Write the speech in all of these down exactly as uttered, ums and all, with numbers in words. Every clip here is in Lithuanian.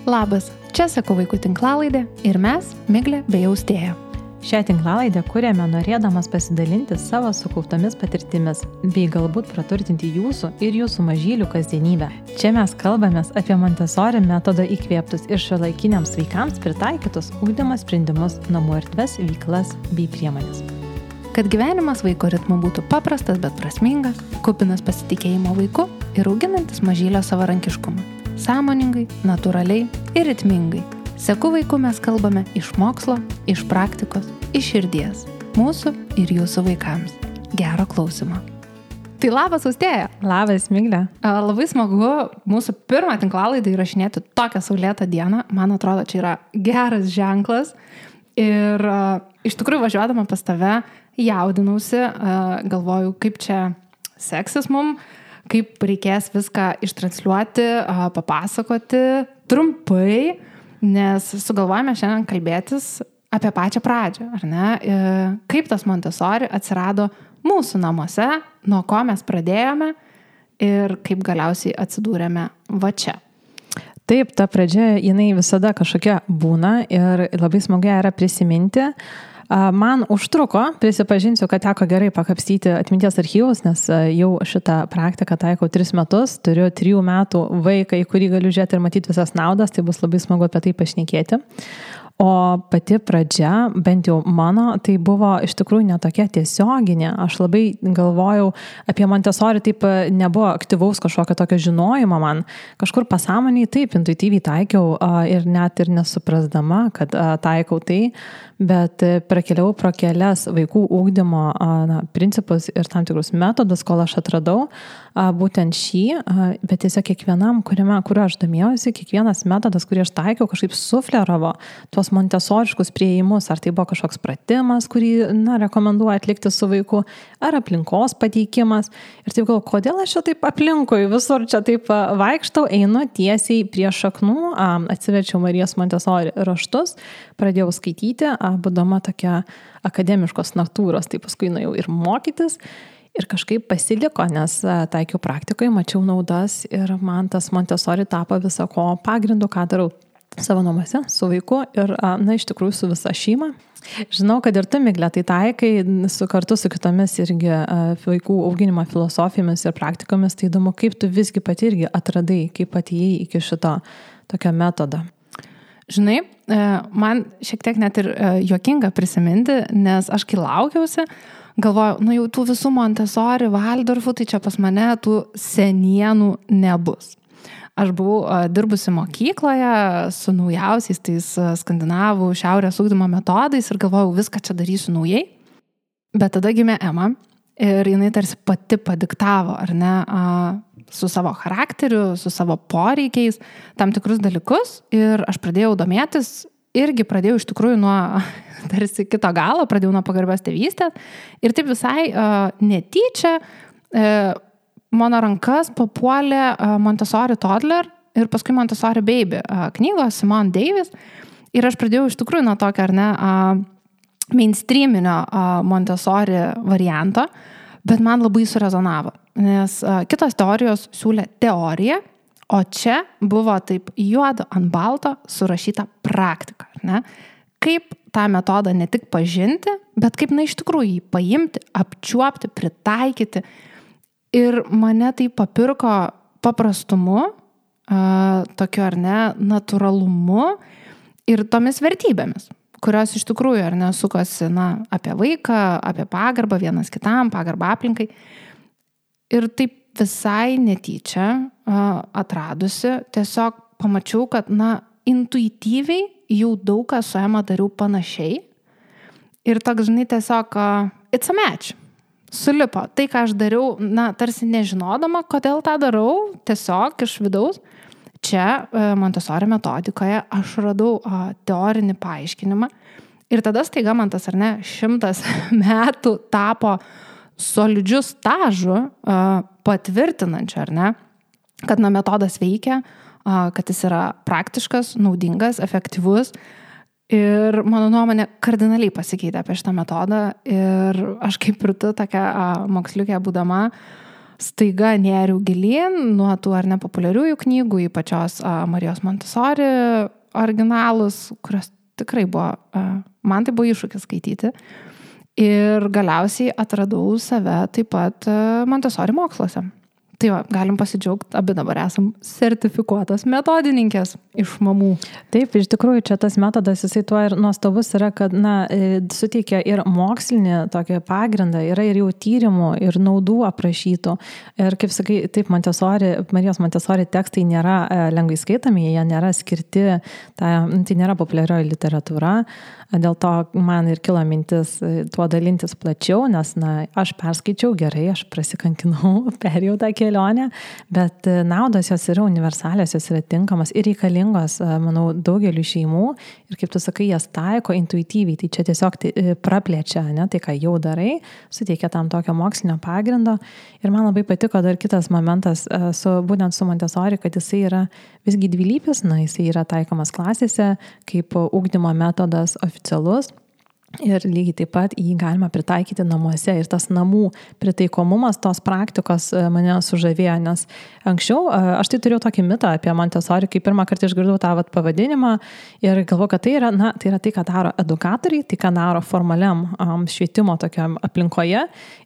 Labas, čia Seko vaikų tinklalaidė ir mes, Miglė bei Austėja. Šią tinklalaidę kuriame norėdamas pasidalinti savo sukauptomis patirtimis, bei galbūt praturtinti jūsų ir jūsų mažylių kasdienybę. Čia mes kalbamės apie Montessori metodo įkvėptus ir šiuolaikiniams vaikams pritaikytus ugdymo sprendimus, namų erdves, veiklas bei priemonės. Kad gyvenimas vaiko ritmu būtų paprastas, bet prasmingas, kupinas pasitikėjimo vaiku ir auginantis mažylio savarankiškumą. Sąmoningai, natūraliai ir ritmingai. Seku vaiku mes kalbame iš mokslo, iš praktikos, iš širdies. Mūsų ir jūsų vaikams. Gero klausimo. Tai labas, Austėja. Labas, Miglė. Labai smagu mūsų pirmą tinklalaidą įrašinėti tokią saulėtą dieną. Man atrodo, čia yra geras ženklas. Ir uh, iš tikrųjų važiuodama pas tave jaudinausi, uh, galvoju, kaip čia seksis mum, kaip reikės viską ištransliuoti, uh, papasakoti trumpai. Nes sugalvojame šiandien kalbėtis apie pačią pradžią, ar ne? Kaip tas Montessori atsirado mūsų namuose, nuo ko mes pradėjome ir kaip galiausiai atsidūrėme va čia. Taip, ta pradžia, jinai visada kažkokia būna ir labai smagu yra prisiminti. Man užtruko, prisipažinsiu, kad teko gerai pakapstyti atminties archyvus, nes jau šitą praktiką taikau tris metus, turiu trijų metų vaiką, į kurį galiu žiūrėti ir matyti visas naudas, tai bus labai smagu apie tai pašnekėti. O pati pradžia, bent jau mano, tai buvo iš tikrųjų netokia tiesioginė. Aš labai galvojau apie Montessori, taip nebuvo aktyvaus kažkokio tokio žinojimo man. Kažkur pasąmoniai taip, intuityviai taikiau ir net ir nesuprasdama, kad taikau tai, bet prakeliau pro kelias vaikų ugdymo na, principus ir tam tikrus metodus, kol aš atradau būtent šį, bet tiesiog kiekvienam, kuriame, kuriuo aš domėjausi, kiekvienas metodas, kurį aš taikiau, kažkaip sufleravo tuos montesoriškus priėjimus, ar tai buvo kažkoks pratimas, kurį, na, rekomenduoju atlikti su vaiku, ar aplinkos pateikimas. Ir taip galvoju, kodėl aš čia taip aplinkui, visur čia taip vaikštau, einu tiesiai prie šaknų, atsiverčiau Marijos Montessori raštus, pradėjau skaityti, būdama tokia akademiškos natūros, tai paskui nuėjau ir mokytis. Ir kažkaip pasiliko, nes taikiau praktikoje, mačiau naudas ir man tas Montessori tapo visako pagrindu, ką darau savo namuose, su vaiku ir, na, iš tikrųjų su visa šeima. Žinau, kad ir tu, Miglė, tai taikai su kartu su kitomis irgi vaikų auginimo filosofijomis ir praktikomis, tai įdomu, kaip tu visgi pati irgi atradai, kaip atėjai iki šito tokio metodo. Žinai, man šiek tiek net ir juokinga prisiminti, nes aš kai laukiausi, galvoju, nu jau tų visų Montessori, Valdorfų, tai čia pas mane tų senienų nebus. Aš buvau dirbusi mokykloje su naujausiais tais skandinavų šiaurės ugdymo metodais ir galvojau, viską čia darysiu naujai. Bet tada gimė Ema ir jinai tarsi pati padiktavo, ar ne, su savo charakteriu, su savo poreikiais, tam tikrus dalykus ir aš pradėjau domėtis. Irgi pradėjau iš tikrųjų nuo tarsi kito galo, pradėjau nuo pagarbios tėvystės ir taip visai uh, netyčia uh, mano rankas papuolė uh, Montessori Toddler ir paskui Montessori Baby uh, knygos Simone Davis ir aš pradėjau iš tikrųjų nuo tokio, ar ne, uh, mainstreaminio uh, Montessori varianto, bet man labai surezonavo, nes uh, kitos teorijos siūlė teoriją, o čia buvo taip juodo ant balto surašyta praktika, ne? Kaip tą metodą ne tik pažinti, bet kaip, na, iš tikrųjų jį paimti, apčiuopti, pritaikyti. Ir mane tai papirko paprastumu, tokiu, ar ne, natūralumu ir tomis vertybėmis, kurios iš tikrųjų, ar ne, sukosi, na, apie vaiką, apie pagarbą vienas kitam, pagarbą aplinkai. Ir taip visai netyčia atradusi, tiesiog pamačiau, kad, na, intuityviai jau daug ką su Ema dariau panašiai. Ir toks, žinai, tiesiog it's a match. Sulipo. Tai, ką aš dariau, na, tarsi nežinodama, kodėl tą darau, tiesiog iš vidaus. Čia Montessori metodikoje aš radau teorinį paaiškinimą. Ir tada staiga man tas, ar ne, šimtas metų tapo solidžiu stažu patvirtinančiu, ar ne, kad na, metodas veikia, kad jis yra praktiškas, naudingas, efektyvus. Ir mano nuomonė kardinaliai pasikeitė apie šitą metodą. Ir aš kaip ir tu, tokia moksliukė būdama, staiga nėriau gilin nuo tų ar nepopuliariųjų knygų, į pačios a, Marijos Montessori originalus, kurios tikrai buvo, a, man tai buvo iššūkis skaityti. Ir galiausiai atradau save taip pat a, Montessori moksluose. Tai va, galim pasidžiaugti, abi dabar esam sertifikuotas metodininkės iš mamų. Taip, iš tikrųjų, čia tas metodas, jisai tuo ir nuostabus yra, kad, na, suteikia ir mokslinį tokį pagrindą, yra ir jau tyrimų, ir naudų aprašytų. Ir kaip sakai, taip, Montessori, Marijos Montessori tekstai nėra lengvai skaitami, jie nėra skirti, tai, tai nėra populiarioji literatūra. Dėl to man ir kilo mintis tuo dalintis plačiau, nes, na, aš perskaičiau gerai, aš prasikankinau, perėjau tą kelionę, bet naudos jos yra universalios, jos yra tinkamas ir reikalingos, manau, daugeliu šeimų ir kaip tu sakai, jas taiko intuityviai, tai čia tiesiog tai praplečia, ne, tai ką jau darai, suteikia tam tokio mokslinio pagrindo. Ir man labai patiko dar kitas momentas, su, būtent su Montessori, kad jisai yra visgi dvilypis, na, jisai yra taikomas klasėse kaip ugdymo metodas oficialus. Ir lygiai taip pat jį galima pritaikyti namuose ir tas namų pritaikomumas tos praktikos mane sužavėjo, nes anksčiau aš tai turėjau tokį mitą apie Montessori, kai pirmą kartą išgirdau tą vat, pavadinimą ir galvoju, kad tai yra, na, tai yra tai, ką daro edukatoriai, tai, ką daro formaliam um, švietimo tokiam aplinkoje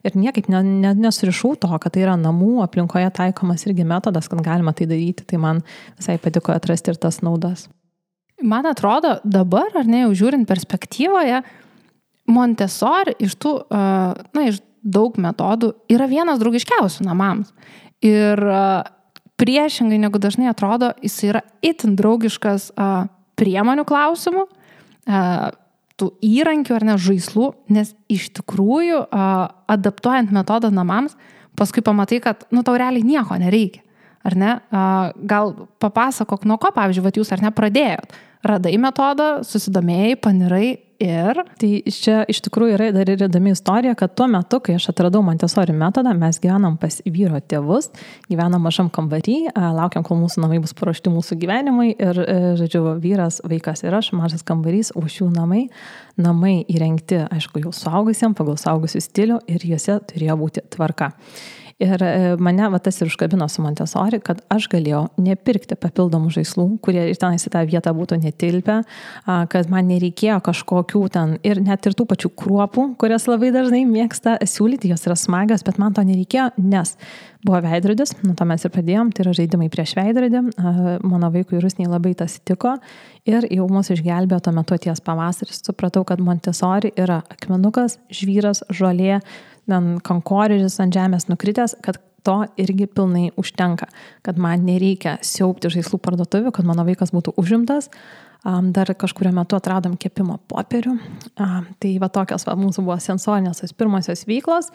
ir niekaip ne, ne, nesurišau to, kad tai yra namų aplinkoje taikomas irgi metodas, kad galima tai daryti, tai man visai patiko atrasti ir tas naudas. Man atrodo, dabar, ar ne, jau žiūrint perspektyvoje, Montessori iš tų, na, iš daug metodų yra vienas draugiškiausių namams. Ir priešingai negu dažnai atrodo, jis yra itin draugiškas priemonių klausimų, tų įrankių ar ne žaislų, nes iš tikrųjų adaptuojant metodą namams, paskui pamatai, kad, nu, tau realiai nieko nereikia. Ar ne? Gal papasakok, nuo ko, pavyzdžiui, vat jūs ar ne pradėjot? Radai metodą, susidomėjai, panirai ir... Tai čia iš tikrųjų yra dar ir įdomi istorija, kad tuo metu, kai aš atradau Montessori metodą, mes gyvenam pas vyro tėvus, gyvenam mažam kambarį, laukiam, kol mūsų namai bus paruošti mūsų gyvenimai ir, žodžiu, vyras, vaikas ir aš, mažas kambarys, o šių namai, namai įrengti, aišku, jau suaugusiem, pagal suaugusių stilių ir juose turėjo būti tvarka. Ir mane va, tas ir užkabino su Montessori, kad aš galėjau nepirkti papildomų žaislų, kurie ir tenais į tą vietą būtų netilpę, kad man nereikėjo kažkokių ten ir net ir tų pačių kruopų, kurias labai dažnai mėgsta siūlyti, jos yra smagios, bet man to nereikėjo, nes buvo veidrodis, nuo to mes ir pradėjom, tai yra žaidimai prieš veidrodį, mano vaikui Rusniai labai tas tiko ir jau mūsų išgelbėjo tuo metu ties pavasaris, supratau, kad Montessori yra akmenukas, žvyras, žolė, kankorėžis ant žemės nukritęs, kad to irgi pilnai užtenka, kad man nereikia siaubti žaislų parduotuvių, kad mano vaikas būtų užimtas. Dar kažkurio metu atradom kepimo popierių. Tai va tokios va, mūsų buvo sensorinės pirmosios veiklos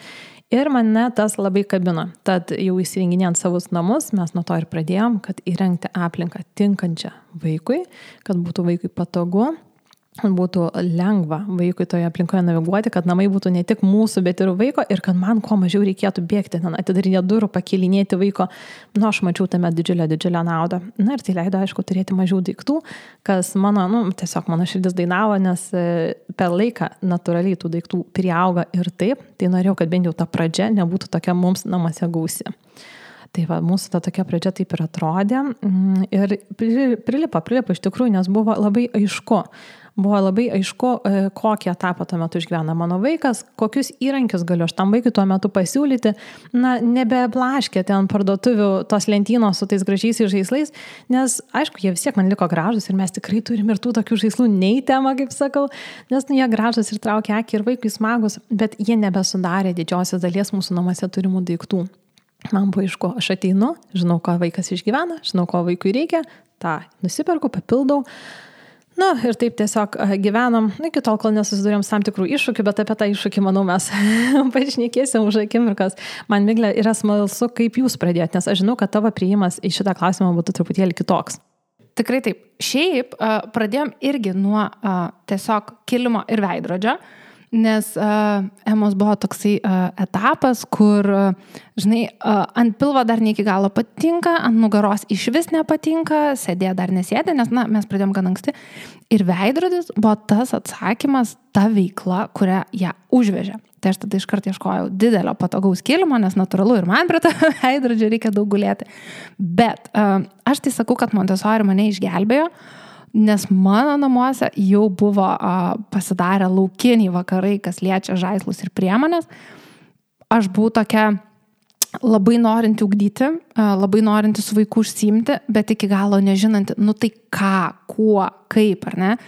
ir mane tas labai kabino. Tad jau įsirenginėjant savus namus, mes nuo to ir pradėjom, kad įrengti aplinką tinkančią vaikui, kad būtų vaikui patogu, būtų lengva vaikui toje aplinkoje naviguoti, kad namai būtų ne tik mūsų, bet ir vaiko ir kad man kuo mažiau reikėtų bėgti, ten atidarinė durų, pakilinėti vaiko. Nu, aš mačiau tame didžiulę, didžiulę naudą. Na ir tai leido, aišku, turėti mažiau daiktų, kas mano, nu, tiesiog mano širdis dainavo, nes per laiką natūraliai tų daiktų priauga ir taip, tai norėjau, kad bent jau ta pradžia nebūtų tokia mums namuose gausi. Tai va, mūsų ta tokia pradžia taip ir atrodė ir prilipo, prilipo iš tikrųjų, nes buvo labai aišku. Buvo labai aišku, kokį etapą tuo metu išgyvena mano vaikas, kokius įrankius galiu aš tam vaikui tuo metu pasiūlyti, na, nebeblaškė ten parduotuvių tos lentynos su tais gražiais žaislais, nes, aišku, jie vis tiek man liko gražus ir mes tikrai turim ir tų tokių žaislų nei tema, kaip sakau, nes nu, jie gražus ir traukia akį ir vaikui smagus, bet jie nebesudarė didžiosios dalies mūsų namuose turimų daiktų. Man buvo aišku, aš ateinu, žinau, ko vaikas išgyvena, žinau, ko vaikui reikia, tą nusiperku, papildau. Na, ir taip tiesiog gyvenom, iki tol, kol nesusidurėm tam tikrų iššūkių, bet apie tą iššūkį, manau, mes pašnekėsim už akimirkas. Man, Miglė, yra smalsu, kaip jūs pradėjote, nes aš žinau, kad tavo priėjimas į šitą klausimą būtų truputėlį kitoks. Tikrai taip. Šiaip pradėjom irgi nuo tiesiog kilimo ir veidrodžio, nes uh, Emos buvo toksai uh, etapas, kur, uh, žinai, uh, ant pilvo dar ne iki galo patinka, ant nugaros iš vis nepatinka, sėdė dar nesėdė, nes, na, mes pradėjom gan anksti. Ir veidrodis buvo tas atsakymas, ta veikla, kurią ją užvežė. Tai aš tada iškart ieškojau didelio patogaus kilimo, nes natūralu ir man prie to veidrodžio reikia daug gulėti. Bet uh, aš tai sakau, kad Montessori mane išgelbėjo, nes mano namuose jau buvo uh, pasidarę laukiniai vakarai, kas liečia žaislus ir priemonės. Aš buvau tokia labai norinti ugdyti, uh, labai norinti su vaiku užsiimti, bet iki galo nežinanti, nu tai ką, kuo, kaip, ar ne?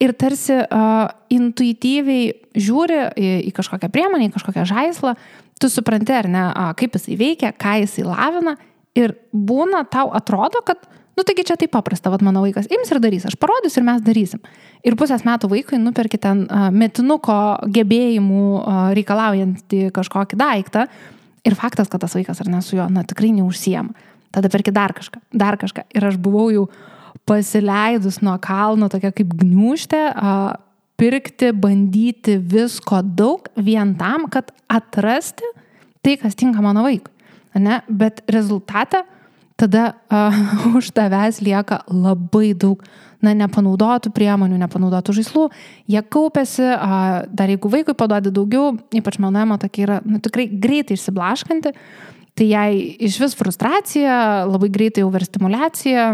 Ir tarsi uh, intuityviai žiūri į, į kažkokią priemonę, į kažkokią žaislą, tu supranti, ar ne, uh, kaip jisai veikia, ką jisai lavina ir būna, tau atrodo, kad, nu taigi čia taip paprasta, vat mano vaikas ims ir darys, aš parodysiu ir mes darysim. Ir pusės metų vaikui nuperki ten uh, metinuko gebėjimų uh, reikalaujantį kažkokį daiktą ir faktas, kad tas vaikas ar ne su juo, na tikrai neužsiema. Tada perki dar kažką, dar kažką. Ir aš buvau jau pasileidus nuo kalno, tokia kaip gniūžtė, pirkti, bandyti visko daug vien tam, kad atrasti tai, kas tinka mano vaikui. Ne? Bet rezultate tada uh, už tavęs lieka labai daug na, nepanaudotų priemonių, nepanaudotų žaislų. Jie kaupėsi, uh, dar jeigu vaikui paduodi daugiau, ypač mano ema tokia yra nu, tikrai greitai išsiblaškanti, tai jai iš vis frustracija, labai greitai overstimulacija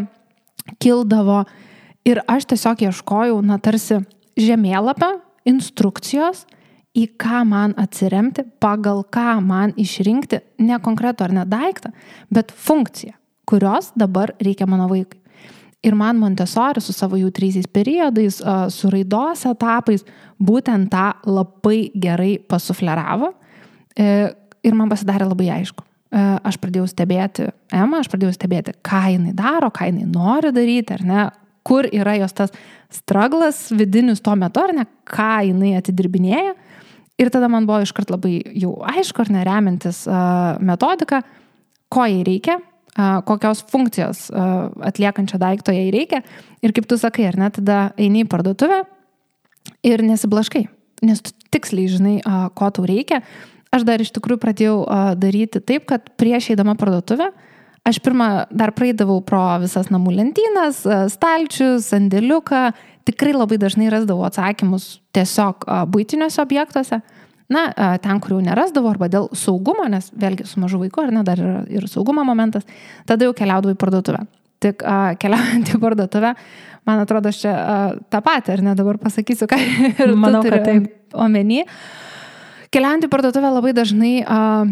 kildavo ir aš tiesiog ieškojau, na, tarsi žemėlapio, instrukcijos, į ką man atsiremti, pagal ką man išrinkti ne konkretų ar ne daiktą, bet funkciją, kurios dabar reikia mano vaikui. Ir man Montessori su savo jautriaisiais periodais, su raidos etapais, būtent tą labai gerai pasufleravo ir man pasidarė labai aišku. Aš pradėjau stebėti Emą, aš pradėjau stebėti, ką jinai daro, ką jinai nori daryti, ar ne, kur yra jos tas straglas vidinius tuo metu, ar ne, ką jinai atidirbinėja. Ir tada man buvo iškart labai jau aišku, ar ne, remiantis uh, metodiką, ko jai reikia, uh, kokios funkcijos uh, atliekančio daikto jai reikia. Ir kaip tu sakai, ar ne, tada eini į parduotuvę ir nesiblaškai, nes tu tiksliai žinai, uh, ko tau reikia. Aš dar iš tikrųjų pradėjau uh, daryti taip, kad prieš eidama parduotuvę, aš pirmą dar praeidavau pro visas namų lentynas, uh, stalčius, sandėliuką, tikrai labai dažnai rasdavau atsakymus tiesiog uh, buitiniuose objektuose, na, uh, ten, kur jau nerasdavau, arba dėl saugumo, nes vėlgi su mažu vaiku, ar ne, dar yra ir saugumo momentas, tada jau keliaudavau į parduotuvę. Tik uh, keliaujant į parduotuvę, man atrodo, aš čia uh, tą patį, ar ne, dabar pasakysiu, ką ir Manau, tu turi omeny. Keliant į parduotuvę labai dažnai uh,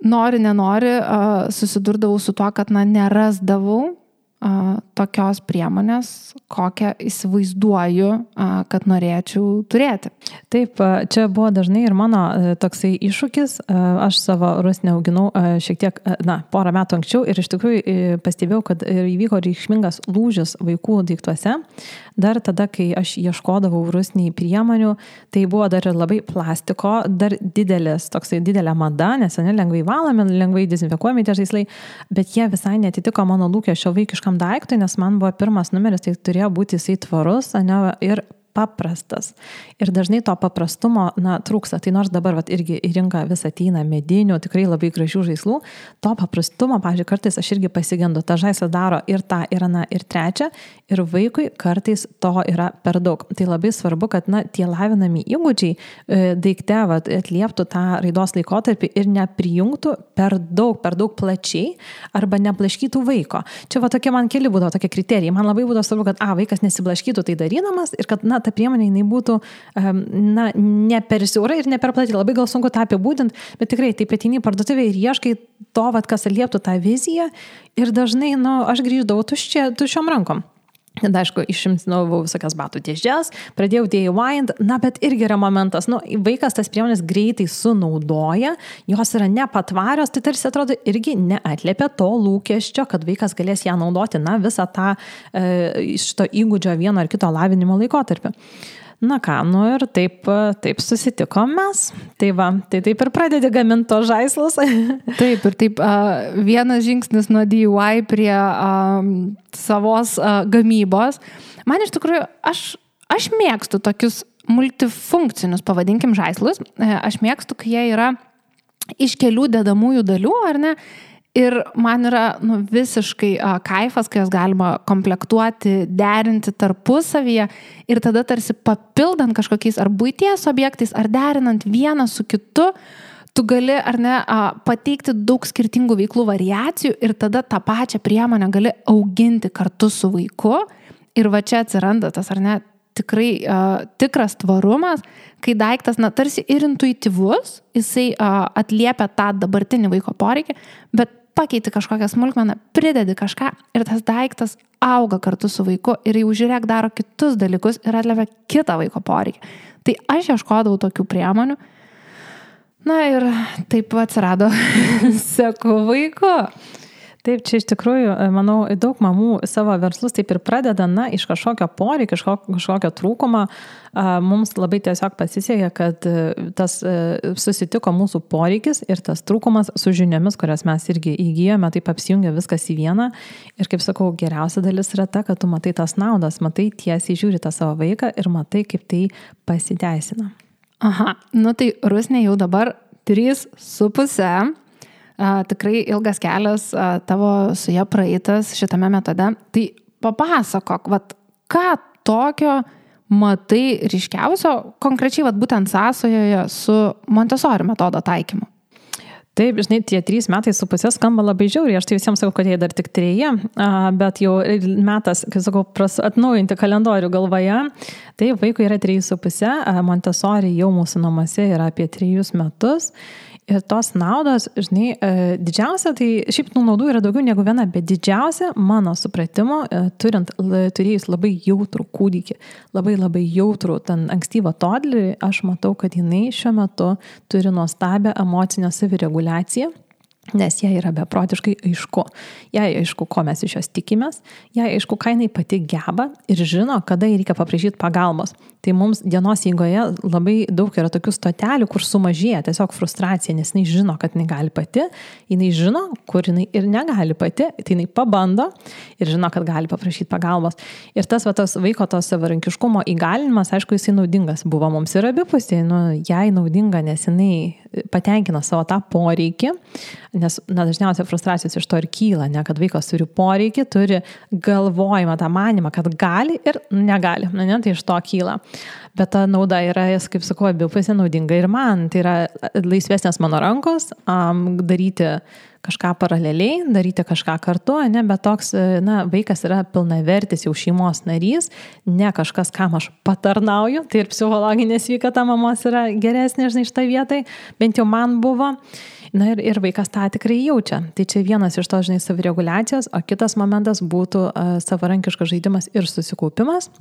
nori, nenori, uh, susidurdavau su tuo, kad na, nerasdavau uh, tokios priemonės, kokią įsivaizduoju, uh, kad norėčiau turėti. Taip, čia buvo dažnai ir mano toksai iššūkis. Aš savo rusnę auginau šiek tiek, na, porą metų anksčiau ir iš tikrųjų pastebėjau, kad įvyko reikšmingas lūžis vaikų daiktuose. Dar tada, kai aš ieškodavau rusniai priemonių, tai buvo dar ir labai plastiko, dar didelis, toksai didelė mada, nes ne lengvai valomi, lengvai dezinfekuojami tie žaislai, bet jie visai netitiko mano lūkesčio vaikiškam daiktui, nes man buvo pirmas numeris, tai turėjo būti jisai tvarus, ne, ir paprastas. Ir dažnai to paprastumo, na, trūksta. Tai nors dabar vat, irgi į rinką vis ateina medinių, tikrai labai gražių žaislų, to paprastumo, pavyzdžiui, kartais aš irgi pasigendu, tą žaislą daro ir tą, ir aną, ir trečią, ir vaikui kartais to yra per daug. Tai labai svarbu, kad, na, tie lavinami įgūdžiai e, daikte vat, atlieptų tą raidos laikotarpį ir neprijungtų per daug, per daug plačiai arba neblaškytų vaiko. Čia va tokie man keli būdavo tokie kriterijai. Man labai būdavo svarbu, kad a, vaikas nesiblaškytų tai darydamas ir kad, na, ta priemonė jinai būtų na, ne per siaura ir ne per plati. Labai gal sunku tą apibūdinti, bet tikrai taip ateini į parduotuvę ir ieškai to, vat, kas atlieptų tą viziją ir dažnai, na, aš grįždavau tuščia, tuščiom rankom. Tada, aišku, išimtinau visokias batų dėžes, pradėjau D I Y, na, bet irgi yra momentas, nu, vaikas tas priemonės greitai sunaudoja, jos yra nepatvarios, tai tarsi atrodo irgi neatliepia to lūkesčio, kad vaikas galės ją naudoti, na, visą tą e, šito įgūdžio vieno ar kito lavinimo laikotarpį. Na ką, nu ir taip, taip susitikom mes. Tai va, tai taip ir pradedi gaminti to žaislus. Taip, ir taip uh, vienas žingsnis nuo D I Y prie uh, savos uh, gamybos. Man iš tikrųjų, aš, aš mėgstu tokius multifunkcinius, pavadinkim, žaislus. Aš mėgstu, kai jie yra iš kelių dedamųjų dalių, ar ne? Ir man yra nu, visiškai a, kaifas, kai jas galima komplektuoti, derinti tarpusavyje ir tada tarsi papildant kažkokiais ar buities objektais, ar derinant vieną su kitu, tu gali ar ne a, pateikti daug skirtingų veiklų variacijų ir tada tą pačią priemonę gali auginti kartu su vaiku. Ir va čia atsiranda tas ar ne tikrai uh, tikras tvarumas, kai daiktas, na, tarsi ir intuityvus, jisai uh, atliepia tą dabartinį vaiko poreikį, bet pakeiti kažkokią smulkmeną, pridedi kažką ir tas daiktas auga kartu su vaiku ir jau žiūrėk daro kitus dalykus ir atliepia kitą vaiko poreikį. Tai aš ieškodavau tokių priemonių. Na ir taip atsirado seku vaiku. Taip, čia iš tikrųjų, manau, daug mamų savo verslus taip ir pradeda, na, iš kažkokio poreikio, kažkokio, kažkokio trūkumo. Mums labai tiesiog pasisekė, kad tas susitiko mūsų poreikis ir tas trūkumas su žiniomis, kurias mes irgi įgyjome, taip apsijungia viskas į vieną. Ir kaip sakau, geriausia dalis yra ta, kad tu matai tas naudas, matai tiesiai žiūri tą savo vaiką ir matai, kaip tai pasiteisina. Aha, nu tai Rusnė jau dabar trys su puse. Uh, tikrai ilgas kelias uh, tavo su ja praeitas šitame metode. Tai papasakok, vat, ką tokio matai ryškiausio, konkrečiai vat, būtent sąsajoje su Montessori metodo taikymu. Taip, žinai, tie trys metai su pusė skamba labai žiauriai, aš tai visiems sakau, kad jie dar tik treji, bet jau metas, kai sakau, atnaujinti kalendorių galvoje, tai vaikui yra trys su pusė, Montessori jau mūsų namuose yra apie trejus metus. Ir tos naudos, žinai, didžiausia, tai šiaip tų naudų yra daugiau negu viena, bet didžiausia mano supratimo, turint, turėjus labai jautrų kūdikį, labai labai jautrų ten ankstyvą toddlerį, aš matau, kad jinai šiuo metu turi nuostabią emocinę savireguliaciją. Nes jai yra beprotiškai aišku. Jai aišku, ko mes iš jos tikimės, jai aišku, ką jinai pati geba ir žino, kada jai reikia paprašyti pagalbos. Tai mums dienos eigoje labai daug yra tokių stotelių, kur sumažėja tiesiog frustracija, nes jinai žino, kad jinai gali pati, jinai žino, kur jinai ir negali pati, tai jinai pabando ir žino, kad gali paprašyti pagalbos. Ir tas, va, tas vaiko to savarankiškumo įgalinimas, aišku, jisai naudingas buvo mums ir abipusiai, nu, jai naudinga, nes jinai patenkina savo tą poreikį, nes na, dažniausiai frustracijos iš to ir kyla, ne, kad vaikas turi poreikį, turi galvojimą, tą manimą, kad gali ir negali, ne, tai iš to kyla. Bet ta nauda yra, kaip sakau, abipusė naudinga ir man, tai yra laisvesnės mano rankos, um, daryti kažką paraleliai, daryti kažką kartu, ne, bet toks, na, vaikas yra pilnavertis jau šeimos narys, ne kažkas, kam aš patarnauju, tai ir psichologinė sveikata mamos yra geresnė, žinai, šitą vietai, bent jau man buvo. Na ir, ir vaikas tą tikrai jaučia. Tai čia vienas iš to, žinai, savireguliacijos, o kitas momentas būtų uh, savarankiškas žaidimas ir susikaupimas.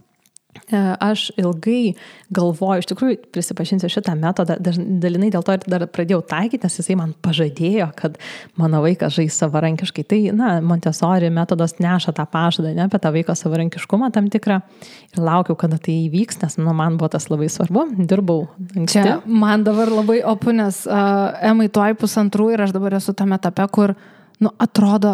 Aš ilgai galvoju, iš tikrųjų prisipažinsiu šitą metodą, dalinai dėl to ir dar pradėjau taikyti, nes jisai man pažadėjo, kad mano vaikas žais savarankiškai. Tai, na, Montessori metodas neša tą pažadą, ne, apie tą vaiko savarankiškumą tam tikrą. Ir laukiau, kada tai įvyks, nes nu, man buvo tas labai svarbu, dirbau anksti. Čia man dabar labai opu, nes uh, Emai tuoj pusantrų ir aš dabar esu tame etape, kur, nu, atrodo,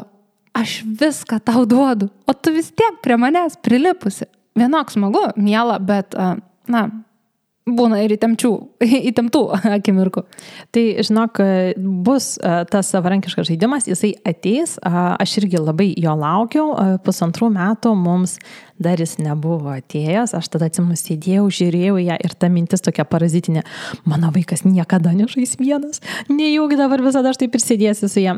aš viską tau duodu, o tu vis tiek prie manęs prilipusi. Vienok smagu, miela, bet, na, būna ir įtempčių, įtemptų akimirkų. Tai, žinok, bus tas savarankiškas žaidimas, jisai ateis, aš irgi labai jo laukiau, pusantrų metų mums dar jis nebuvo atėjęs, aš tada atsimenu sėdėjau, žiūrėjau ją ir ta mintis tokia parazitinė, mano vaikas niekada nežais vienas, nejaugi dabar visada aš taip ir sėdėsiu su ją.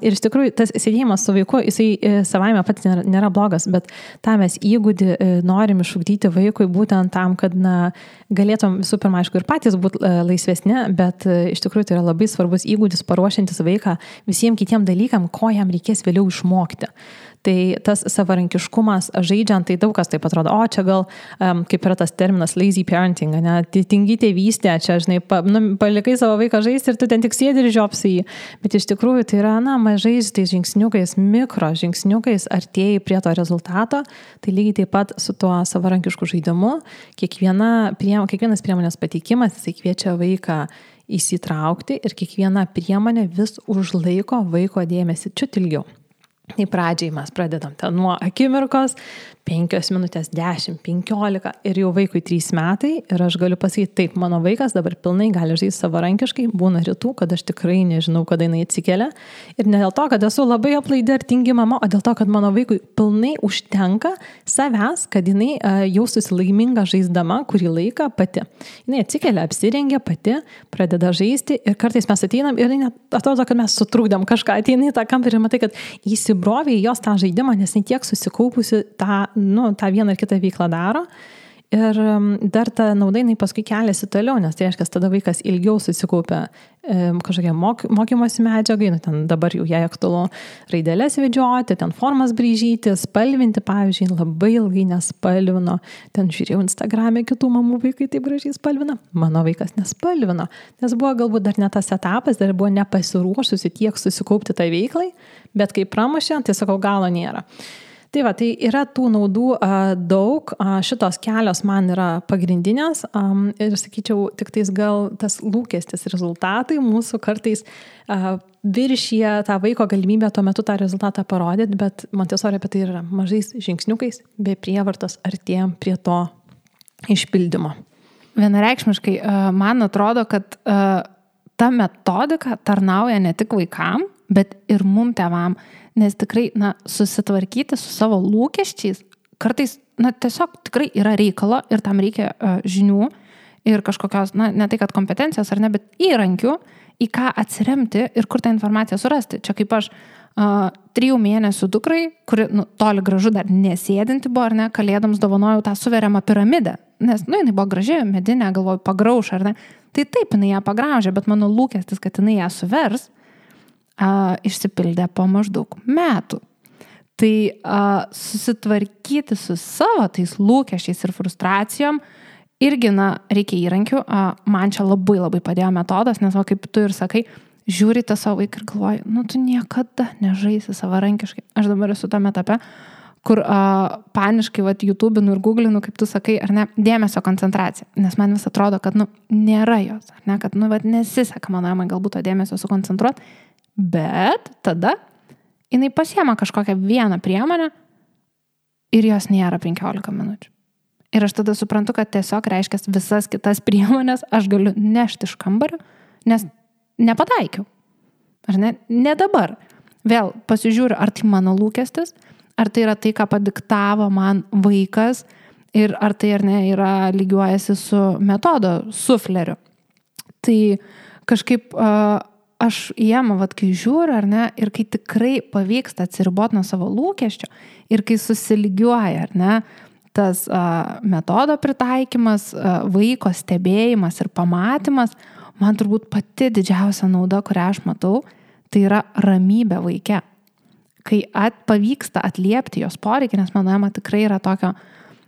Ir iš tikrųjų tas sėdėjimas su vaiku, jisai savaime pats nėra, nėra blogas, bet tą mes įgūdį norim išugdyti vaikui būtent tam, kad na, galėtum visų pirma, aišku, ir patys būti laisvesni, bet iš tikrųjų tai yra labai svarbus įgūdis paruošiantis vaiką visiems kitiem dalykam, ko jam reikės vėliau išmokti. Tai tas savarankiškumas žaidžiant, tai daug kas taip atrodo, o čia gal, um, kaip yra tas terminas lazy parenting, ne, tingi tėvystė, čia, žinai, pa, nu, palikai savo vaiką žaisti ir tu ten tik sėdi ir žiopsi jį. Bet iš tikrųjų tai yra, na, mažais tais žingsniukais, mikro žingsniukais artėjai prie to rezultato, tai lygiai taip pat su tuo savarankišku žaidimu, kiekviena, priem, kiekvienas priemonės pateikimas, jisai kviečia vaiką įsitraukti ir kiekviena priemonė vis užlaiko vaiko dėmesį čiut ilgiau. Tai pradžiai mes pradedam ten nuo akimirkos, penkios minutės, dešimt, penkiolika ir jau vaikui trys metai ir aš galiu pasakyti, taip, mano vaikas dabar pilnai gali žaisti savarankiškai, būna rytų, kad aš tikrai nežinau, kada jinai atsikelia ir ne dėl to, kad esu labai aplaidi ar tingi mama, o dėl to, kad mano vaikui pilnai užtenka savęs, kad jinai uh, jaustųsi laiminga žaisdama kurį laiką pati. Jinai atsikelia, apsirengia pati, pradeda žaisti ir kartais mes ateinam ir net atrodo, kad mes sutrukdėm kažką, ateina į tą kambarį ir matai, kad įsibrovė į jos tą žaidimą, nes jinai tiek susikaupusi tą nu, tą vieną ar kitą veiklą daro ir dar ta nauda jinai paskui keliasi toliau, nes tai reiškia, tada vaikas ilgiau susikaupia e, kažkokie mok, mokymosi medžiagai, nu, ten dabar jau jai aktualu raidelės vedžioti, ten formas braižyti, spalvinti, pavyzdžiui, labai ilgai nespalvino, ten žiūrėjau Instagram'e kitų mamų vaikai taip gražiai spalvina, mano vaikas nespalvino, nes buvo galbūt dar ne tas etapas, dar buvo nepasiruošusi tiek susikaupti tai veiklai, bet kai pramušė, tai sakau, galo nėra. Tai va, tai yra tų naudų a, daug, a, šitos kelios man yra pagrindinės a, ir sakyčiau, tik tais gal tas lūkestis rezultatai mūsų kartais a, viršyje tą vaiko galimybę tuo metu tą rezultatą parodyti, bet Montessori apie tai yra mažais žingsniukais, be prievartos artėjom prie to išpildymo. Vienareikšmiškai, man atrodo, kad ta metodika tarnauja ne tik vaikam, bet ir mum tėvam. Nes tikrai, na, susitvarkyti su savo lūkesčiais, kartais, na, tiesiog tikrai yra reikalo ir tam reikia uh, žinių ir kažkokios, na, ne tai, kad kompetencijos ar ne, bet įrankių, į ką atsiremti ir kur tą informaciją surasti. Čia kaip aš uh, trijų mėnesių dukrai, kuri, nu, toli gražu dar nesėdinti buvo, ar ne, kalėdams dovanojau tą suveriamą piramidę, nes, nu, jinai buvo graži, medinė, galvoju, pagrauš, ar ne. Tai taip, jinai ją pagraužė, bet mano lūkestis, kad jinai ją suvers, Uh, išsipildė po maždaug metų. Tai uh, susitvarkyti su savo tais lūkesčiais ir frustracijom irgi, na, reikia įrankių. Uh, man čia labai labai padėjo metodas, nes, va, kaip tu ir sakai, žiūri tą savo vaiką ir galvoji, nu, tu niekada nežaisi savarankiškai. Aš dabar esu tame etape, kur uh, paniškai, va, YouTube'inu ir Google'inu, kaip tu sakai, ar ne, dėmesio koncentracija. Nes man vis atrodo, kad, nu, nėra jos, ar ne, kad, nu, va, nesiseka mano mamai galbūt to dėmesio sukoncentruoti. Bet tada jinai pasiema kažkokią vieną priemonę ir jos nėra penkiolika minučių. Ir aš tada suprantu, kad tiesiog reiškia visas kitas priemonės aš galiu nešti iš kambario, nes nepataikiau. Ar ne? Ne dabar. Vėl pasižiūriu, ar tai mano lūkestis, ar tai yra tai, ką padiktavo man vaikas ir ar tai ar ne yra lygiuojasi su metodo sufleriu. Tai kažkaip uh, aš jiem, vat, kai žiūriu, ar ne, ir kai tikrai pavyksta atsiriboti nuo savo lūkesčio ir kai susilygiuoja, ar ne, tas a, metodo pritaikymas, a, vaiko stebėjimas ir pamatymas, man turbūt pati didžiausia nauda, kurią aš matau, tai yra ramybė vaike. Kai at, pavyksta atliepti jos poreikį, nes mano mama tikrai yra tokio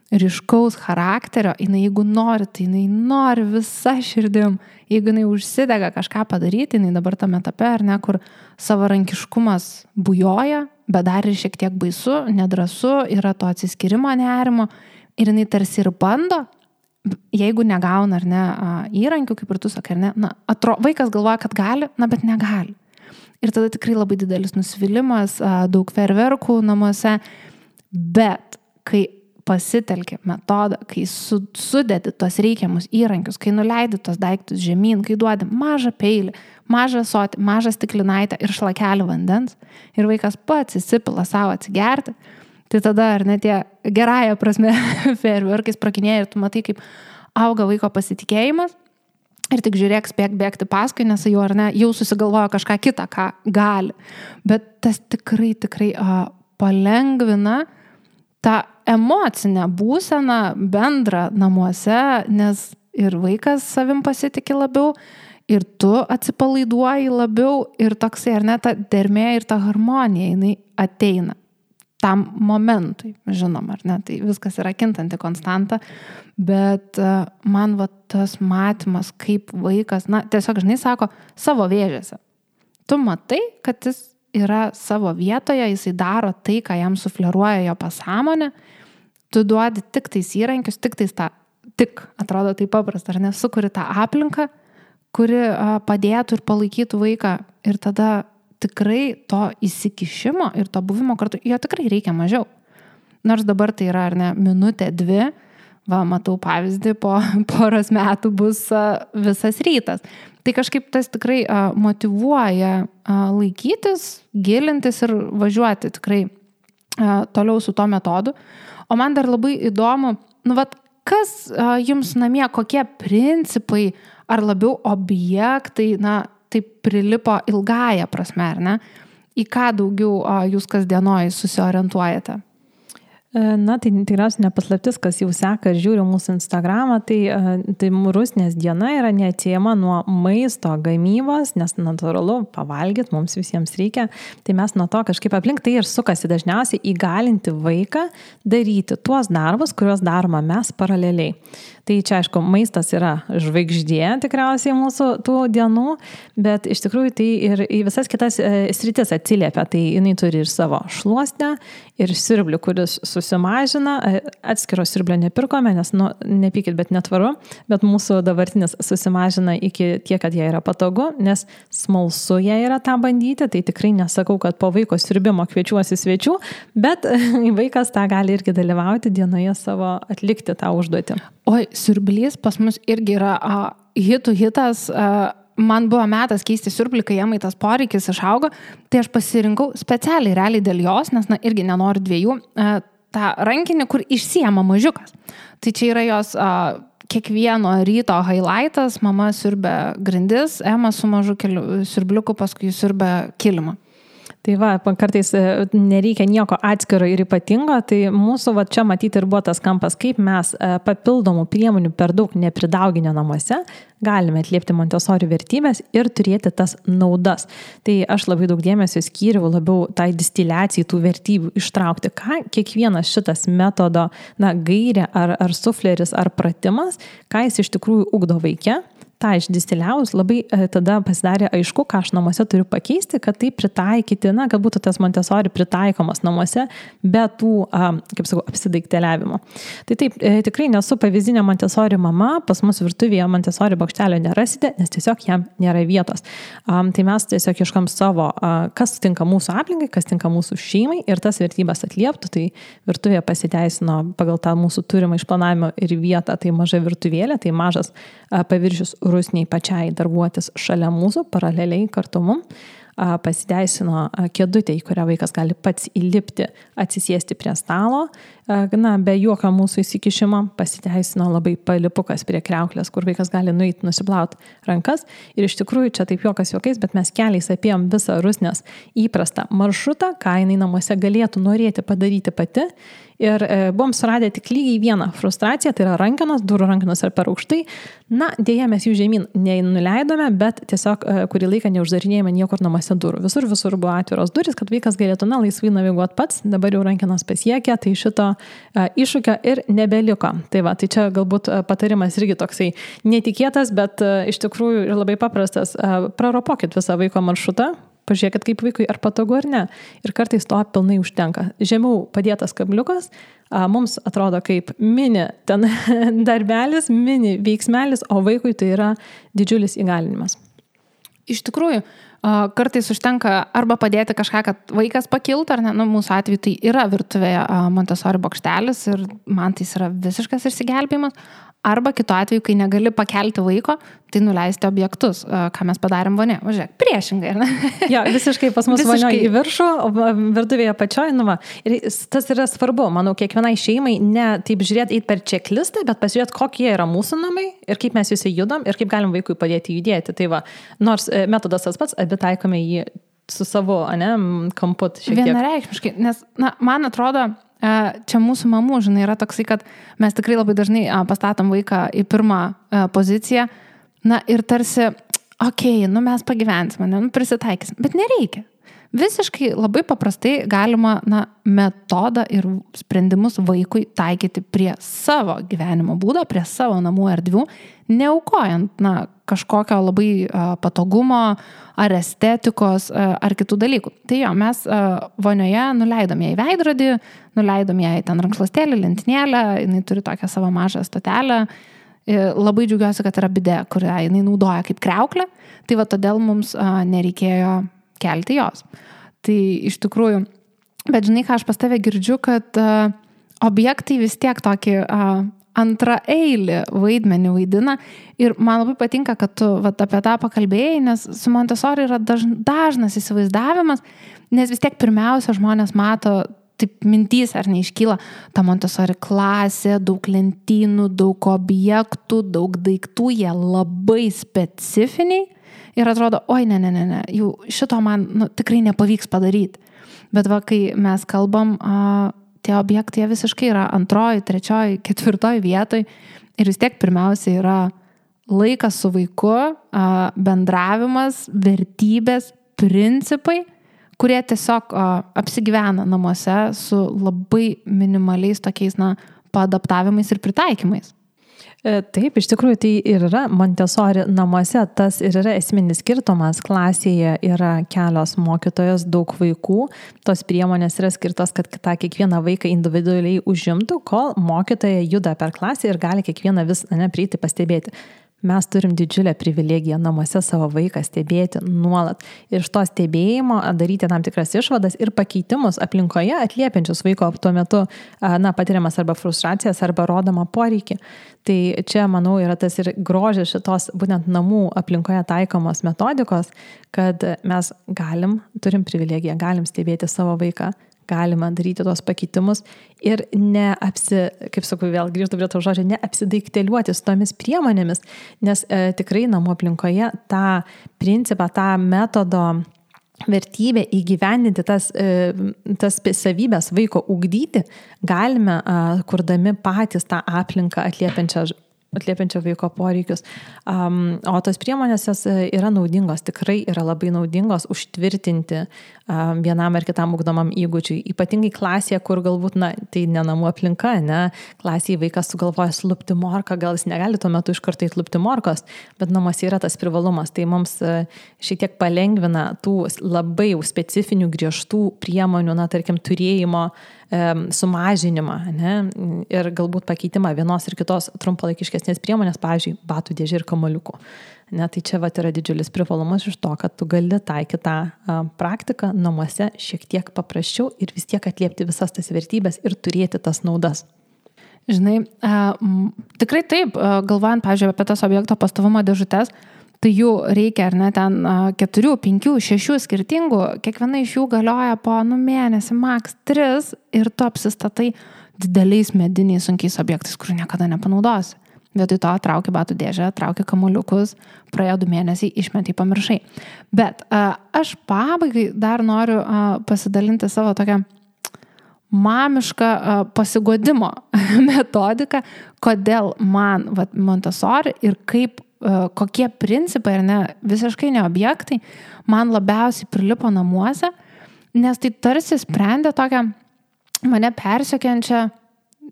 ryškaus charakterio, jinai jeigu nori, tai jinai nori visa širdim. Jeigu jinai užsidega kažką padaryti, jinai dabar tame etape, ar ne, kur savarankiškumas bujoja, bet dar ir šiek tiek baisu, nedrąsu, yra to atsiskirimo nerimo ir jinai tarsi ir bando, jeigu negauna, ar ne, įrankių, kaip ir tu sakai, ar ne, na, atro, vaikas galvoja, kad gali, na, bet negali. Ir tada tikrai labai didelis nusivylimas, daug fejerverkų namuose, bet kai pasitelki metodą, kai su, sudedi tos reikiamus įrankius, kai nuleidi tos daiktus žemyn, kai duodi mažą peilį, mažą sotį, mažą stiklinaitę ir šlakelį vandens ir vaikas pats įsipila savo atsigerti, tai tada ar ne tie gerąją prasme fejerverkais prakinėja ir tu matai, kaip auga vaiko pasitikėjimas ir tik žiūrėk, spėk bėgti paskui, nes jau ar ne, jau susigalvojo kažką kitą, ką gali. Bet tas tikrai, tikrai a, palengvina tą emocinę būseną bendrą namuose, nes ir vaikas savim pasitikė labiau, ir tu atsipalaiduoji labiau, ir toksai, ar ne, ta dermė ir ta harmonija, jinai ateina tam momentui, žinom, ar ne, tai viskas yra kintanti konstanta, bet man va tas matymas, kaip vaikas, na, tiesiog, žinai, sako, savo vėžėse. Tu matai, kad jis yra savo vietoje, jisai daro tai, ką jam sufleruoja jo pasąmonė, tu duodi tik tais įrankius, tik tais tą, tik, atrodo tai paprasta, ar ne, sukuri tą aplinką, kuri a, padėtų ir palaikytų vaiką ir tada tikrai to įsikišimo ir to buvimo kartu, jo tikrai reikia mažiau. Nors dabar tai yra, ar ne, minutė, dvi, va, matau pavyzdį, po poros metų bus a, visas rytas. Tai kažkaip tas tikrai a, motyvuoja a, laikytis, gilintis ir važiuoti tikrai a, toliau su to metodu. O man dar labai įdomu, nu, vat, kas a, jums namie, kokie principai ar labiau objektai, na, taip prilipo ilgąją prasme, ar ne? Į ką daugiau a, jūs kasdienoj susiorientuojate? Na, tai tikriausiai nepaslaptis, kas jau seka ir žiūri mūsų Instagramą, tai, tai rusnės diena yra neatsiejama nuo maisto gamybos, nes natūralu pavalgyti mums visiems reikia. Tai mes nuo to kažkaip aplink tai ir sukasi dažniausiai įgalinti vaiką daryti tuos darbus, kuriuos daroma mes paraleliai. Tai čia, aišku, maistas yra žvaigždė tikriausiai mūsų tų dienų, bet iš tikrųjų tai ir į visas kitas sritis atsiliepia. Tai jinai turi ir savo šluostę, ir siurblių, kuris susimažina. Atskiro siurblio nepirkome, nes, nu, nepykit, bet netvaru, bet mūsų dabartinis susimažina iki tiek, kad jie yra patogu, nes smalsu jie yra tą bandyti. Tai tikrai nesakau, kad po vaiko siurbimo kviečiuosi svečių, bet vaikas tą gali irgi dalyvauti dienoje savo, atlikti tą užduotį. Oi, siurblys pas mus irgi yra a, hitų hitas. A, man buvo metas keisti siurblį, kai jam tas poreikis išaugo, tai aš pasirinkau specialiai realiai dėl jos, nes na, irgi nenoriu dviejų, a, tą rankinį, kur išsiema mažiukas. Tai čia yra jos a, kiekvieno ryto highlightas, mama siurbia grindis, Ema su mažu keliu, siurbliuku, paskui siurbia kilimą. Tai va, kartais nereikia nieko atskiro ir ypatingo, tai mūsų va čia matyti ir buvo tas kampas, kaip mes papildomų priemonių per daug nepridauginę namuose galime atliepti Montessori vertybės ir turėti tas naudas. Tai aš labai daug dėmesio skyriau labiau tai distiliacijai tų vertybių ištraukti, ką kiekvienas šitas metodo, na, gairė ar, ar sufleris ar pratimas, ką jis iš tikrųjų ugdo vaike. Ta išdistiliavus labai e, tada pasidarė aišku, ką aš namuose turiu pakeisti, kad tai pritaikyti, na, kad būtų tas Montessori pritaikomas namuose, be tų, a, kaip sakau, apsidaikteliavimo. Tai taip, e, tikrai nesu pavyzdinė Montessori mama, pas mus virtuvėje Montessori bokštelio nerasite, nes tiesiog jam nėra vietos. A, tai mes tiesiog ieškam savo, a, kas tinka mūsų aplinkai, kas tinka mūsų šeimai ir tas vertybės atlieptų. Tai virtuvėje pasiteisino pagal tą mūsų turimą išplanavimą ir vietą, tai maža virtuvėlė, tai mažas a, paviršius rusniai pačiai darbuotis šalia mūsų, paraleliai kartu mum. Pasiteisino kėdutė, į kurią vaikas gali pats įlipti, atsisėsti prie stalo. Na, be jokio mūsų įsikišimo pasiteisino labai palipukas prie kriauklės, kur vaikas gali nueiti, nusiplauti rankas. Ir iš tikrųjų čia taip jokas jokais, bet mes keliais apėjom visą rusnės įprastą maršrutą, ką jinai namuose galėtų norėti padaryti pati. Ir e, buvom suradę tik lygiai vieną frustraciją, tai yra rankenos, durų rankenos ar per aukštai. Na, dėja mes jų žemyn nenuleidome, bet tiesiog e, kurį laiką neuždarinėjome niekur namuose durų. Visur, visur buvo atviros durys, kad vaikas galėtų, na, laisvai naviguoti pats. Dabar jau rankenos pasiekė, tai šito e, iššūkio ir nebeliko. Tai va, tai čia galbūt e, patarimas irgi toksai netikėtas, bet e, iš tikrųjų ir labai paprastas. E, praropokit visą vaiko maršrutą. Pažiūrėkit, kaip vaikui ar patogu ar ne. Ir kartais to pilnai užtenka. Žemiau padėtas kabliukas mums atrodo kaip mini ten darbelis, mini veiksmelis, o vaikui tai yra didžiulis įgalinimas. Iš tikrųjų, kartais užtenka arba padėti kažką, kad vaikas pakiltų, ar ne, nu, mūsų atveju tai yra virtuvėje Montessori bokštelis ir man tai yra visiškas išsigelbėjimas. Arba kitu atveju, kai negali pakelti vaiko, tai nuleisti objektus, ką mes padarėm vonė. Važiuok, priešingai, ne? Jo, visiškai pas mus vonioje į viršų, virtuvėje pačioj, nu va. Ir tas yra svarbu, manau, kiekvienai šeimai ne taip žiūrėti eit per checklistą, bet pasižiūrėti, kokie yra mūsų namai ir kaip mes juose judam ir kaip galim vaikui padėti judėti. Tai va, nors metodas tas pats, abi taikome jį su savo, ne, kamput šiek tiek. Vienareikšmiškai, nes, na, man atrodo, čia mūsų mamų, žinai, yra toksai, kad mes tikrai labai dažnai pastatom vaiką į pirmą poziciją, na ir tarsi, okei, okay, nu mes pagyvensime, nu prisitaikysim, bet nereikia. Visiškai labai paprastai galima, na, metodą ir sprendimus vaikui taikyti prie savo gyvenimo būdo, prie savo namų erdvių, neaukojant, na, kažkokio labai a, patogumo ar estetikos a, ar kitų dalykų. Tai jo, mes a, vonioje nuleidom ją į veidrodį, nuleidom ją į ten rankšluostėlį, lentynėlę, jinai turi tokią savo mažą stotelę. Ir labai džiaugiuosi, kad yra bidė, kurią jinai naudoja kaip kriauklę. Tai va todėl mums a, nereikėjo kelti jos. Tai iš tikrųjų, bet žinai, ką aš pas tave girdžiu, kad uh, objektai vis tiek tokį uh, antrą eilį vaidmenį vaidina ir man labai patinka, kad tu vat, apie tą pakalbėjai, nes su Montessori yra daž, dažnas įsivaizdavimas, nes vis tiek pirmiausia žmonės mato, taip mintys ar neiškyla, ta Montessori klasė, daug lentynų, daug objektų, daug daiktų, jie labai specifiniai ir atrodo, oi, ne, ne, ne, ne, jau šito man nu, tikrai nepavyks padaryti. Bet va, kai mes kalbam, a, tie objektai visiškai yra antroji, trečioji, ketvirtoji vietoj ir vis tiek pirmiausia yra laikas su vaiku, bendravimas, vertybės, principai, kurie tiesiog apsigyvena namuose su labai minimaliais tokiais na, paadaptavimais ir pritaikymais. Taip, iš tikrųjų tai ir yra Montessori namuose, tas ir yra esminis skirtumas. Klasėje yra kelios mokytojos, daug vaikų, tos priemonės yra skirtos, kad tą kiekvieną vaiką individualiai užimtų, kol mokytoja juda per klasę ir gali kiekvieną vis ne, prieiti pastebėti. Mes turim didžiulę privilegiją namuose savo vaiką stebėti nuolat ir iš to stebėjimo daryti tam tikras išvadas ir pakeitimus aplinkoje atliepiančius vaiko tuo metu na, patiriamas arba frustracijas arba rodomą poreikį. Tai čia, manau, yra tas ir grožis šitos būtent namų aplinkoje taikomos metodikos, kad mes galim, turim privilegiją, galim stebėti savo vaiką, galima daryti tos pakeitimus ir neapsi, kaip sakau, vėl grįžtu prie to žodžio, neapsidaikteliuoti su tomis priemonėmis, nes e, tikrai namų aplinkoje tą principą, tą metodo vertybę įgyvendinti, tas, e, tas savybės vaiko ugdyti, galime, e, kurdami patys tą aplinką atliepiančią atliepiančio vaiko poreikius. Um, o tos priemonės jos yra naudingos, tikrai yra labai naudingos užtvirtinti um, vienam ar kitam ugdomam įgūdžiui. Ypatingai klasėje, kur galbūt, na, tai ne namų aplinka, ne, klasėje vaikas sugalvoja slupti morką, gal jis negali tuo metu iš karto įtlupti morkos, bet namuose yra tas privalumas. Tai mums šiek tiek palengvina tų labai jau specifinių griežtų priemonių, na, tarkim, turėjimo sumažinimą, ne, ir galbūt pakeitimą vienos ir kitos trumpalaikiškesnės priemonės, pavyzdžiui, batų dėžė ir kamuoliukų. Ne, tai čia vat yra didžiulis privalumas iš to, kad tu gali taikyti tą a, praktiką namuose šiek tiek paprasčiau ir vis tiek atliepti visas tas vertybės ir turėti tas naudas. Žinai, a, m, tikrai taip, a, galvojant, pavyzdžiui, apie tas objekto pastovumo dėžutes, tai jų reikia, ar ne, ten keturių, penkių, šešių skirtingų, kiekviena iš jų galioja po nu, mėnesį, maks tris ir tu apsistatai dideliais mediniais sunkiais objektais, kurių niekada nepanaudosi. Vietoj to trauki batų dėžę, trauki kamuoliukus, praėjo du mėnesiai, išmetai, pamiršai. Bet a, aš pabaigai dar noriu a, pasidalinti savo tokią mamišką a, pasigodimo metodiką, kodėl man vat, Montessori ir kaip kokie principai, ar ne, visiškai ne objektai, man labiausiai prilipo namuose, nes tai tarsi sprendė tokią mane persiekiančią,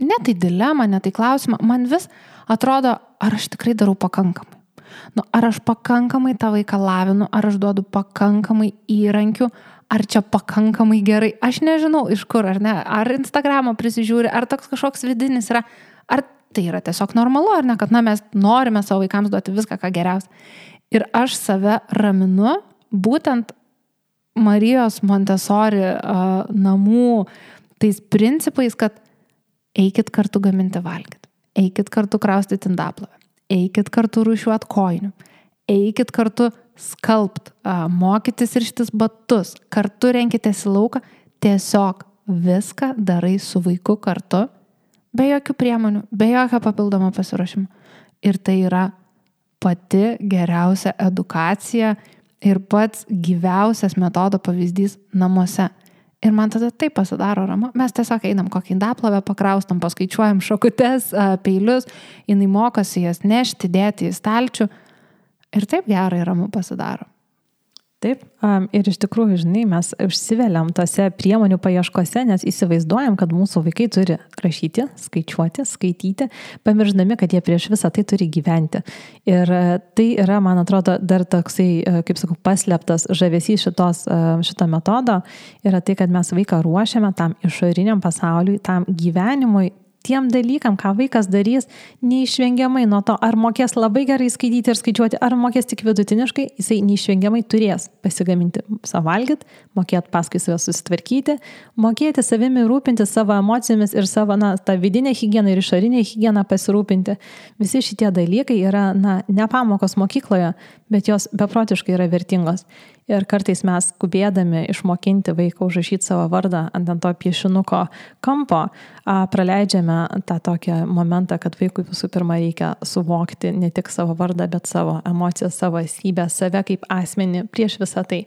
ne tai dilemą, ne tai klausimą, man vis atrodo, ar aš tikrai darau pakankamai. Nu, ar aš pakankamai tą vaiką lavinu, ar aš duodu pakankamai įrankių, ar čia pakankamai gerai, aš nežinau iš kur, ar ne, ar Instagramą prisižiūri, ar toks kažkoks vidinis yra, ar tai yra tiesiog normalu, ar ne, kad na, mes norime savo vaikams duoti viską, ką geriausia. Ir aš save raminu būtent Marijos Montessori uh, namų tais principais, kad eikit kartu gaminti valgyti, eikit kartu kraustyti indaplovę, eikit kartu rūšiuot kojinių, eikit kartu skalbt, uh, mokytis rištis batus, kartu renkitės į lauką, tiesiog viską darai su vaiku kartu, be jokių priemonių, be jokio papildomo pasiruošimo. Ir tai yra pati geriausia edukacija ir pats gyviausias metodo pavyzdys namuose. Ir man tada taip pasidaro ramu. Mes tiesiog einam kokį indaplovę, pakraustam, paskaičiuojam šakutes, peilius, jinai mokosi jas nešti, dėti į stalčių. Ir taip gerai ramu pasidaro. Taip, ir iš tikrųjų, žinai, mes užsiveliam tose priemonių paieškose, nes įsivaizduojam, kad mūsų vaikai turi rašyti, skaičiuoti, skaityti, pamirždami, kad jie prieš visą tai turi gyventi. Ir tai yra, man atrodo, dar toksai, kaip sakau, paslėptas žavesys šitos, šito metodo, yra tai, kad mes vaiką ruošiame tam išoriniam pasauliui, tam gyvenimui tiem dalykam, ką vaikas darys, neišvengiamai nuo to, ar mokės labai gerai skaityti ir skaičiuoti, ar mokės tik vidutiniškai, jisai neišvengiamai turės pasigaminti savo valgyti, mokėti paskui save susitvarkyti, mokėti savimi rūpinti savo emocijomis ir savo, na, tą vidinę higieną ir išorinę higieną pasirūpinti. Visi šitie dalykai yra, na, ne pamokos mokykloje, bet jos beprotiškai yra vertingos. Ir kartais mes skubėdami išmokinti vaiką užrašyti savo vardą ant to piešinuko kampo, a, praleidžiame tą tokį momentą, kad vaikui visų pirma reikia suvokti ne tik savo vardą, bet savo emocijas, savo esybę, save kaip asmenį prieš visą tai.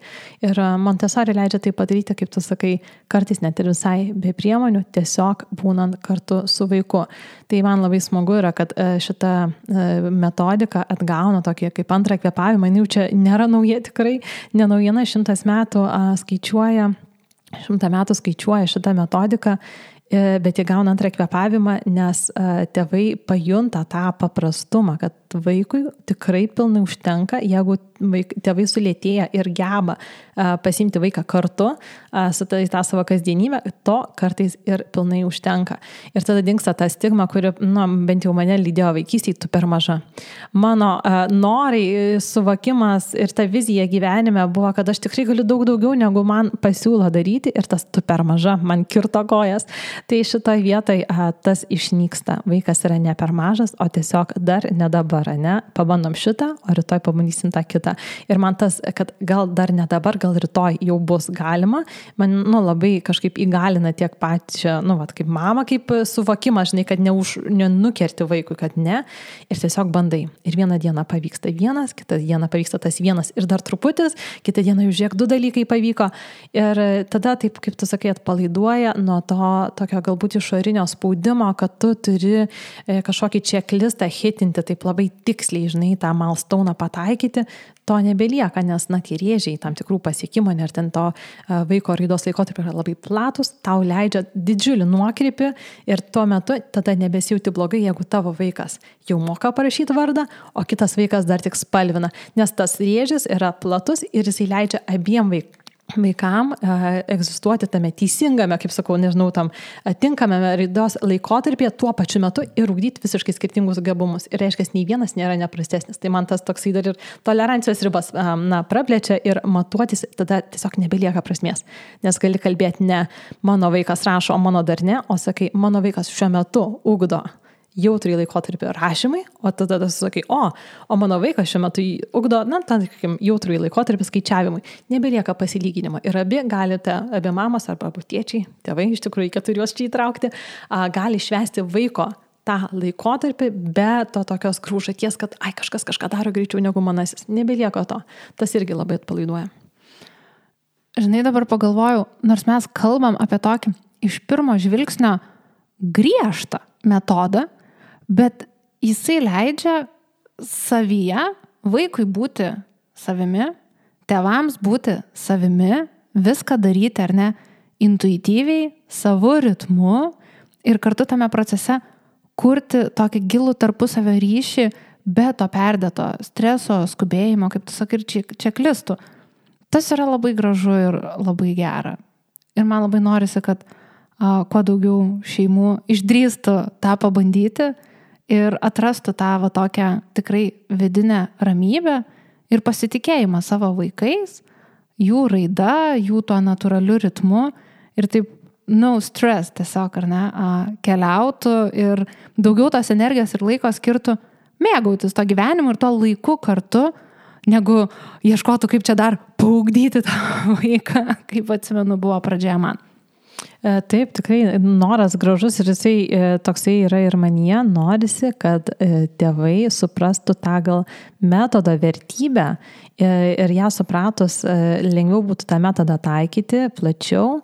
Ir Montessori leidžia tai padaryti, kaip tu sakai, kartais net ir visai be priemonių, tiesiog būnant kartu su vaiku. Tai man labai smagu yra, kad šita metodika atgauna tokį kaip antrą kvėpavimą, jau čia nėra nauja tikrai, ne naujiena, šimtas metų skaičiuoja, šimtą metų skaičiuoja šitą metodiką, bet jie gauna antrą kvėpavimą, nes tėvai pajunta tą paprastumą, kad vaikui tikrai pilnai užtenka, jeigu vaik, tėvai sulėtėja ir geba a, pasimti vaiką kartu a, su tą, tą savo kasdienybę, to kartais ir pilnai užtenka. Ir tada dingsta ta stigma, kuri, nu, bent jau mane lydėjo vaikystėje, tu per maža. Mano a, norai, suvokimas ir ta vizija gyvenime buvo, kad aš tikrai galiu daug daugiau, negu man pasiūlo daryti ir tas tu per maža, man kirto kojas. Tai šitoj vietoj a, tas išnyksta. Vaikas yra ne per mažas, o tiesiog dar ne dabar. Ne? Pabandom šitą, o rytoj pabandysim tą kitą. Ir man tas, kad gal dar ne dabar, gal rytoj jau bus galima, man nu, labai kažkaip įgalina tiek pačią, nu, vat, kaip mama, kaip suvokimą, žinai, kad neuž, nenukerti vaikui, kad ne. Ir tiesiog bandai. Ir vieną dieną pavyksta vienas, kitą dieną pavyksta tas vienas ir dar truputis, kitą dieną jau žiūrėk, du dalykai pavyko. Ir tada, taip kaip tu sakai, atpalaiduoja nuo to tokio galbūt išorinio spaudimo, kad tu turi kažkokį checklistą hitinti taip labai tiksliai, žinai, tą milestone pataikyti, to nebelieka, nes, na, tie rėžiai tam tikrų pasiekimų, ir ten to vaiko raidos laikotarpiai yra labai platus, tau leidžia didžiulį nuokrypį ir tuo metu tada nebesijauti blogai, jeigu tavo vaikas jau moka parašyti vardą, o kitas vaikas dar tik spalvina, nes tas rėžis yra platus ir jisai leidžia abiem vaikam. vaikam e, egzistuoti tame teisingame, kaip sakau, nežinau, tam tinkamame raidos laikotarpyje tuo pačiu metu ir ugdyti visiškai skirtingus gabumus. Ir reiškia, nei vienas nėra neprastesnis. Tai man tas toksai dar ir tolerancijos ribas e, na, praplečia ir matuotis tada tiesiog nebelieka prasmės. Nes gali kalbėti ne mano vaikas rašo, o mano dar ne, o sakai, mano vaikas šiuo metu ugdo jautrį laikotarpį rašymai, o tada tu sakai, o, o mano vaikas šiuo metu ugdo, na, tam jautrį laikotarpį skaičiavimui. Nebelieka pasilyginimo. Ir abi galite, abi mamos arba abu tėčiai, tėvai, iš tikrųjų, reikia juos čia įtraukti, a, gali švęsti vaiko tą laikotarpį be to tokios grūžaties, kad ai, kažkas kažką daro greičiau negu manasis. Nebelieka to. Tas irgi labai atpalaiduoja. Žinai, dabar pagalvojau, nors mes kalbam apie tokį iš pirmo žvilgsnio griežtą metodą, bet jisai leidžia savyje vaikui būti savimi, tėvams būti savimi, viską daryti, ar ne, intuityviai, savo ritmu ir kartu tame procese kurti tokį gilų tarpusavio ryšį be to perdėto streso, skubėjimo, kaip tu sakai, ir čeklistų. Tas yra labai gražu ir labai gera. Ir man labai norisi, kad a, kuo daugiau šeimų išdrįstų tą pabandyti ir atrastų tą va tokią tikrai vidinę ramybę ir pasitikėjimą savo vaikais, jų raida, jų tuo natūraliu ritmu ir taip no stress tiesiog, ar ne, keliautų ir daugiau tos energijos ir laiko skirtų mėgautis to gyvenimu ir to laiku kartu, negu ieškotų, kaip čia dar paugdyti tą vaiką, kaip atsimenu buvo pradžioje man. Taip, tikrai noras gražus ir jisai toksai yra ir manyje, norisi, kad tėvai suprastų tą gal metodo vertybę ir ją supratus lengviau būtų tą metodą taikyti plačiau.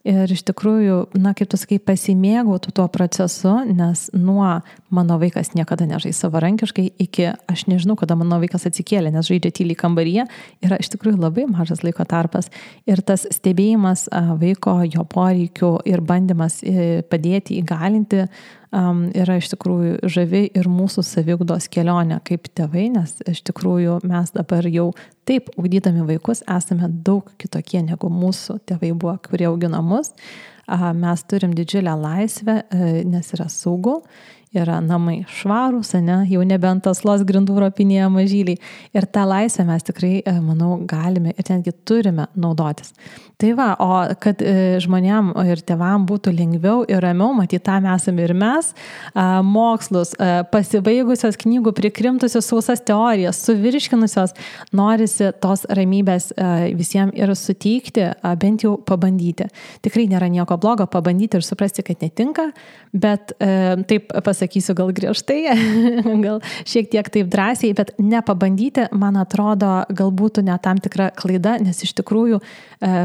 Ir iš tikrųjų, na, kaip tu sakai, pasimėgautų tuo procesu, nes nuo mano vaikas niekada nežais savarankiškai iki aš nežinau, kada mano vaikas atsikėlė, nes žaidžia tyliai kambaryje, yra iš tikrųjų labai mažas laiko tarpas. Ir tas stebėjimas vaiko, jo poreikių ir bandymas padėti, įgalinti um, yra iš tikrųjų žavi ir mūsų saviugdos kelionė kaip tėvai, nes iš tikrųjų mes dabar jau taip ugdydami vaikus esame daug kitokie negu mūsų tėvai buvo, kurie augino mus. mes turim didžiulę laisvę, nes yra saugu, yra namai švarūs, ne, jau nebent tas los grindų ropinėje mažyliai. Ir tą laisvę mes tikrai, manau, galime ir netgi turime naudotis. Tai va, o kad žmonėm ir tėvam būtų lengviau ir ramiau, matyt, tam esame ir mes, mokslus, pasibaigusios knygų, prikrimtusios sausas teorijas, suvirškinusios, norisi tos ramybės visiems ir suteikti, bent jau pabandyti. Tikrai nėra nieko blogo pabandyti ir suprasti, kad netinka, bet taip pasakysiu gal griežtai, gal šiek tiek taip drąsiai, bet nepabandyti, man atrodo, gal būtų ne tam tikra klaida, nes iš tikrųjų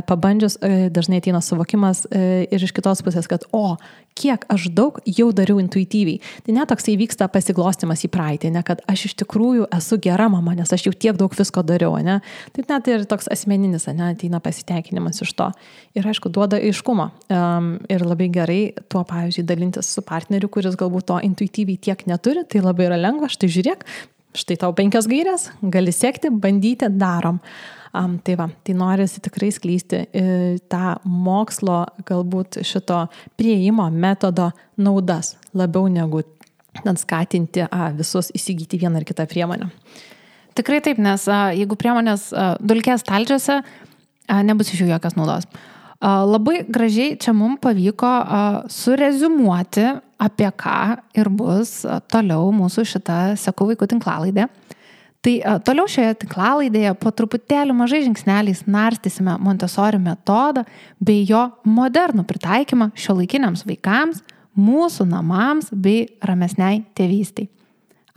pabandžius dažnai ateina suvokimas ir iš kitos pusės, kad o, kiek aš daug jau dariau intuityviai. Tai net toksai vyksta pasiglostimas į praeitį, ne, kad aš iš tikrųjų esu gera mama, nes aš jau tiek daug visko dariau, ne. Tai net ir toks asmeninis, ne, ateina pasiteikinimas iš to. Ir aišku, duoda aiškumą. Um, ir labai gerai tuo, pavyzdžiui, dalintis su partneriu, kuris galbūt to intuityviai tiek neturi, tai labai yra lengva, štai žiūrėk, štai tau penkios gairės, gali sekti, bandyti, darom. Um, tai va, tai norisi tikrai skleisti e, tą mokslo, galbūt šito prieimo metodo naudas, labiau negu skatinti a, visus įsigyti vieną ar kitą priemonę. Tikrai taip, nes a, jeigu priemonės a, dulkės stalčiuose, a, nebus iš jų jokios naudos. A, labai gražiai čia mums pavyko a, sureziumuoti, apie ką ir bus a, toliau mūsų šita Seku vaikų tinklalaidė. Tai a, toliau šioje tinklalaidėje po truputėlį mažai žingsneliais narstysime Montessori metodą bei jo modernų pritaikymą šiuolaikiniams vaikams, mūsų namams bei ramesniai tėvystei.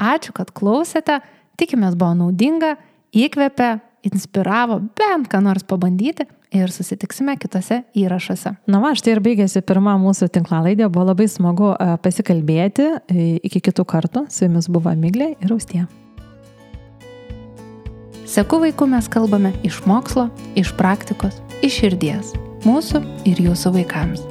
Ačiū, kad klausėte, tikimės buvo naudinga, įkvėpė, inspiravo bent ką nors pabandyti ir susitiksime kitose įrašuose. Na va, štai ir baigėsi pirma mūsų tinklalaidė, buvo labai smagu pasikalbėti, iki kitų kartų, su jumis buvo Miglė ir Austėja. Seku vaikų mes kalbame iš mokslo, iš praktikos, iš širdies, mūsų ir jūsų vaikams.